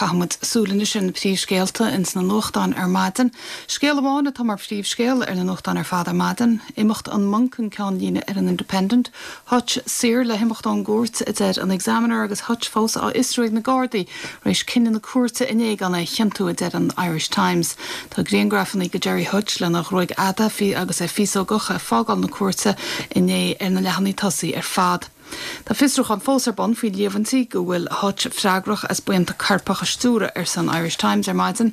Caithfidh muid súil anois ar na príomhscéalta ins na nuachtáin ar maidin. Scéal amháin atá mar phríomhscéal ar na nuachtáin ar fad ar maidin. Imeacht an Monk an ceannlíne ar an Independent. Hutch saor le himeacht ón gcúirt, a deir an Examiner agus Hutch fós á fhiosrú ag na Gardaí tar éis cinneadh na cúirte inné gan é a chiontú, a deir an Irish Times. Tá griangrafanna de Gerry Hutch lena ghruaig fhada agus é féasógach ag fágáil na cúirte inné ar na leathanaigh tosaigh ar fad. Tá fiosrúchán fós ar bun faoi líomhaintí go bhfuil Hutch freagrach as buíonta coirpeach a stiúradh, arsa an Irish Times ar maidin.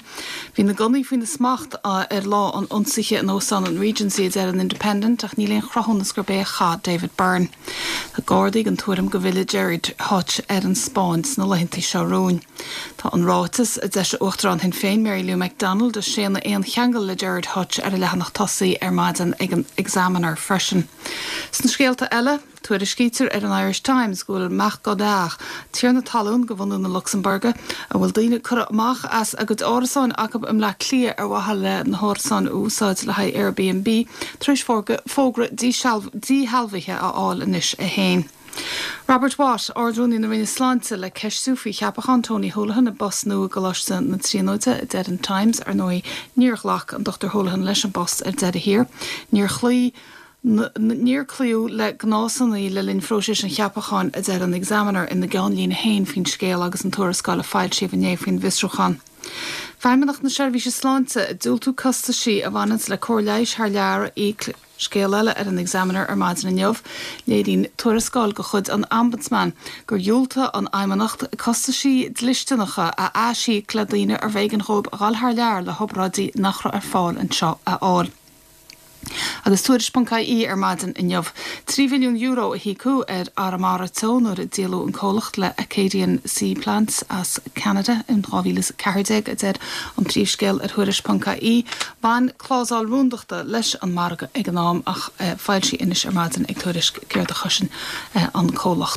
Bhí na gunnaí faoina smacht ar lá an ionsaithe in Óstán an Regency, a deir an Independent, ach níl aon chruthúnas gurb é a chaith David Byrne. Tá Gardaí den tuairim go bhfillfidh Gerry Hutch ar an Spáinn sna laethanta seo romhainn. Tá an ráiteas a d'eisigh Uachtarán Shinn Féin Mary Lou McDonald ag séanadh aon cheangal le Gerard Hutch ar a leathanach tosaigh ar maidin ag an Examiner freisin. Sna scéalta eile. Tuairiscítear ar an Irish Times go bhfuil Marc Godard, tiarna talún de bhunadh na Lucsambuirge, a bhfuil daoine curtha amach as a gcuid árasáin acu i mBleá Cliath ar mhaithe le na hárasáin a úsáid le haghaidh Airbnb, tar éis fógra díshealbhaithe a fháil anois é féin. Robert Watt, Ard-Rúnaí na Roinne Sláinte, le ceistiú faoi cheapachán Tony Holohan i bpost nua i gColáiste na Tríonóide, a deir an Times. Ar ndóigh, níor ghlac an Dr Holohan leis an bpost ar deireadh thiar. Níor chloígh. Níor cloíodh le gnásanna le linn phróiseas an cheapacháin, a deir an Examiner ina gceannlíne féin faoin scéal agus an tuarascáil a foilsíodh inné faoin bhfiosrúchán. Feidhmeannacht na Seirbhíse Sláinte ag diúltú costaisí a bhaineanns le cóir leighis thar lear a íoc Scéal eile ar an Examiner ar maidin inniu, léiríonn tuarascáil de chuid an Ombudsman gur dhiúltaigh an Fheidhmeannacht costaisí dlisteanacha a aisíoc le daoine arbh éigean dhóibh a dhul thar lear le hobráidí nach raibh ar fáil anseo a fháil. Agus Tuairisc.ie ar maidin inniu. €3 mhilliún a híocadh ar Arramara Teo nuair a díoladh an comhlacht le Acadian Sea Plants as Ceanada in 2014, a deir an príomhscéal ar Thuairisc.ie. Bhain clásal rúndachta leis an margadh ag an am ach foilsíodh anois ar maidin ag Tuairisc céard a chosain an comhlacht.